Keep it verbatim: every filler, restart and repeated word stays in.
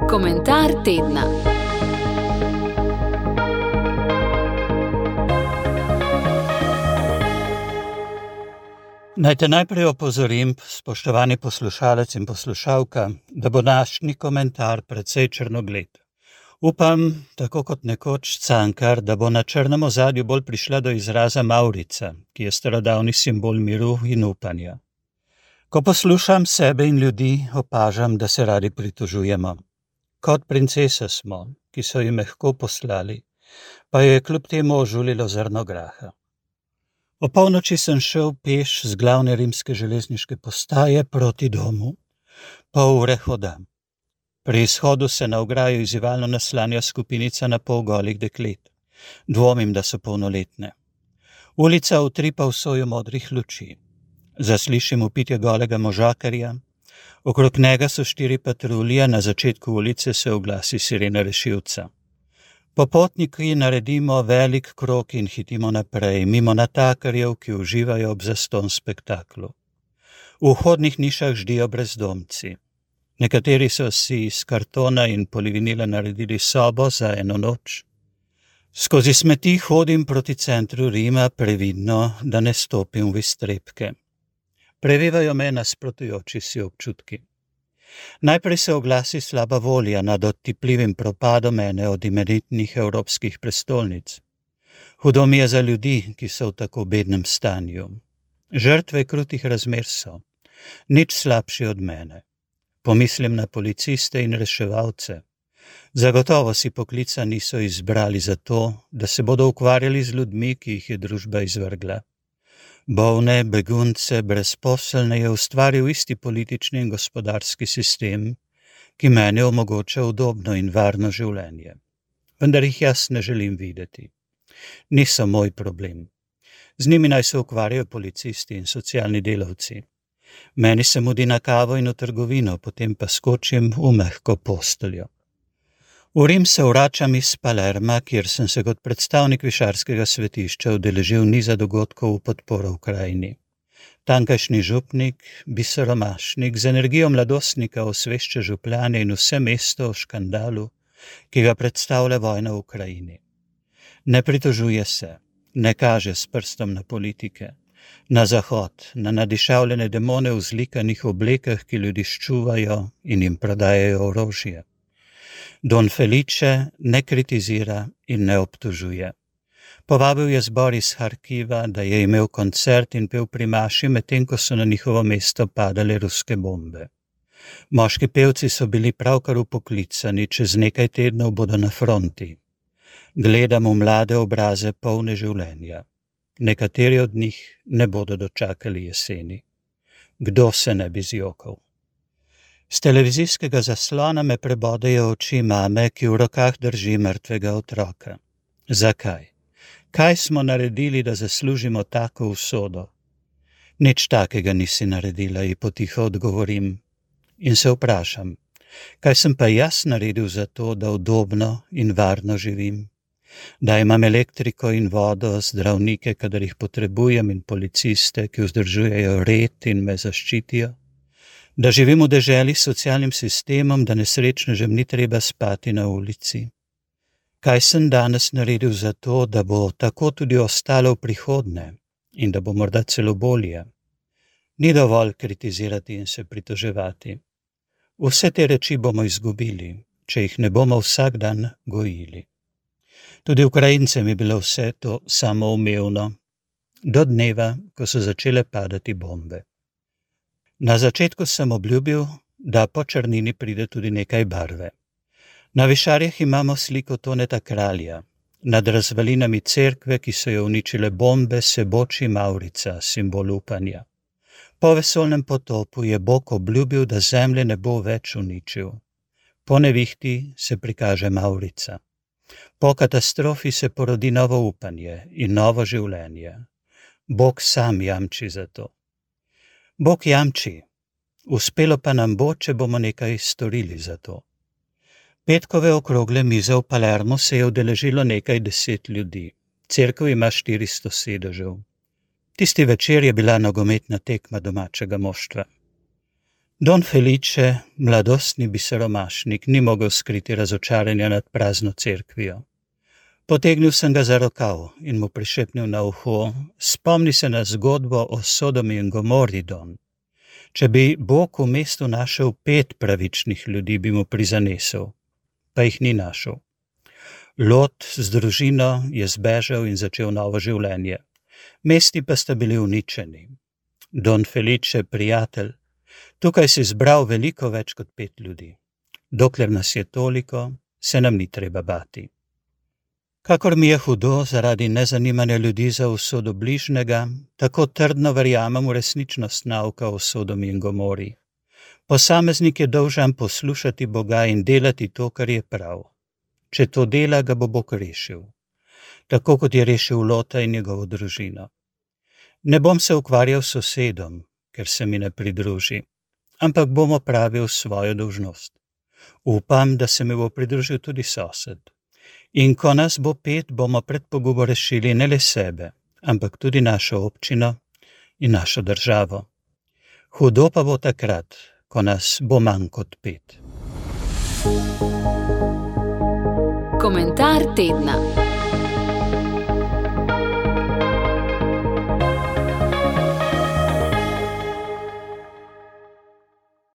Komentar tedna. Naj te najprej opozorim, spoštovani poslušalec in poslušalka, da bo današnji komentar precej črnogled. Upam, tako kot nekoč Cankar, da bo na črnem ozadju bolj prišla do izraza mavrica, ki je starodavni simbol miru in upanja. Ko poslušam sebe in ljudi, opažam, da se radi pritožujemo. Kot princese smo, ki so jim mehko poslali, pa jo je kljub temu ožulilo zrno graha. O polnoči sem šel peš z glavne rimske železniške postaje proti domu, pol ure hoda. Pri izhodu se na ograjo izzivalno naslanja skupinica na pol golih deklet. Dvomim, da so polnoletne. Ulica utripa v soju modrih luči. Zaslišim vpitje golega možakarja. Okrog njega so štiri patrulje, na začetku ulice se oglasi sirena rešilca. Popotniki naredimo velik krog in hitimo naprej, mimo natakarjev, ki uživajo ob zastonj spektaklu. V vhodnih nišah ždijo brezdomci. Nekateri so si iz kartona in polivinila naredili sobo za eno noč. Skozi smeti hodim proti centru Rima, previdno, da ne stopim v iztrebke. Prevevajo me nasprotujoči si občutki. Najprej se oglasi slaba volja nad odtipljivim propadom ene od imenitnih evropskih prestolnic. Hudo mi je za ljudi, ki so v tako bednem stanju. Žrtve krutih razmer so, nič slabši od mene. Pomislim na policiste in reševalce. Zagotovo si poklica niso izbrali zato, da se bodo ukvarjali z ljudmi, ki jih je družba izvrgla. Bolne, begunce, brezposelne je ustvaril isti politični in gospodarski sistem, ki meni omogoča udobno in varno življenje. Vendar jih jaz ne želim videti. Niso moj problem. Z njimi naj se ukvarjajo policisti in socialni delavci. Meni se mudi na kavo in v trgovino, potem pa skočim v mehko posteljo. V Rim se vračam iz Palerma, kjer sem se kot predstavnik višarskega svetišča udeležil niza dogodkov v podporo Ukrajini. Tankajšnji župnik, biseromašnik, z energijo mladostnika osvešča župljane in vse mesto o škandalu, ki ga predstavlja vojna v Ukrajini. Ne pritožuje se, ne kaže s prstom na politike, na zahod, na nadišavljene demone v zlikanih oblekah, ki ljudi ščuvajo in jim prodajajo orožje. Don Felice ne kritizira in ne obtožuje. Povabil je zbor iz Harkiva, da je imel koncert in pel pri maši, medtem ko so na njihovo mesto padale ruske bombe. Moški pevci so bili pravkar upoklicani, čez nekaj tednov bodo na fronti. Gledam v mlade obraze polne življenja. Nekateri od njih ne bodo dočakali jeseni. Kdo se ne bi zjokal? Z televizijskega zaslona me prebodejo oči mame, ki v rokah drži mrtvega otroka. Zakaj? Kaj smo naredili, da zaslužimo tako usodo? Nič takega nisi naredila, ji potiho odgovorim. In se vprašam, kaj sem pa jaz naredil za to, da udobno in varno živim? Da imam elektriko in vodo, zdravnike, kadar jih potrebujem, in policiste, ki vzdržujejo red in me zaščitijo? Da živim v deželi s socialnim sistemom, da nesrečnežem ni treba spati na ulici? Kaj sem danes naredil za to, da bo tako tudi ostalo v prihodnje in da bo morda celo bolje? Ni dovolj kritizirati in se pritoževati. Vse te reči bomo izgubili, če jih ne bomo vsak dan gojili. Tudi Ukrajincem je bilo vse to samoumevno, do dneva, ko so začele padati bombe. Na začetku sem obljubil, da po črnini pride tudi nekaj barve. Na Višarjah imamo sliko Toneta Kralja. Nad razvalinami cerkve, ki so jo uničile bombe, se boči mavrica, simbol upanja. Po vesoljnem potopu je Bog obljubil, da zemlje ne bo več uničil. Po nevihti se prikaže mavrica. Po katastrofi se porodi novo upanje in novo življenje. Bog sam jamči za to. Bog jamči, uspelo pa nam bo, če bomo nekaj storili za to. Petkove okrogle mize v Palermu se je udeležilo nekaj deset ljudi. Cerkev ima štiristo sedežev. Tisti večer je bila nogometna tekma domačega moštva. Don Felice, mladostni biseromašnik, ni mogel skriti razočaranja nad prazno cerkvijo. Potegnil sem ga za rokav in mu prišepnil na uho: spomni se na zgodbo o Sodomi in Gomori, Don. Če bi Bog v mestu našel pet pravičnih ljudi, bi mu prizanesel, pa jih ni našel. Lot z družino je zbežal in začel novo življenje. Mesti pa sta bili uničeni. Don Felice, prijatelj, tukaj si zbral veliko več kot pet ljudi. Dokler nas je toliko, se nam ni treba bati. Kakor mi je hudo zaradi nezanimanja ljudi za usodo bližnjega, tako trdno verjamem v resničnost nauka o Sodomi in Gomori. Posameznik je dolžan poslušati Boga in delati to, kar je prav. Če to dela, ga bo Bog rešil, tako kot je rešil Lota in njegovo družino. Ne bom se ukvarjal s sosedom, ker se mi ne pridruži, ampak bom opravil svojo dolžnost. Upam, da se mi bo pridružil tudi sosed. In ko nas bo pet, bomo pred pogubo rešili ne le sebe, ampak tudi našo občino in našo državo. Hudo pa bo takrat, ko nas bo manj kot pet. Komentar tedna.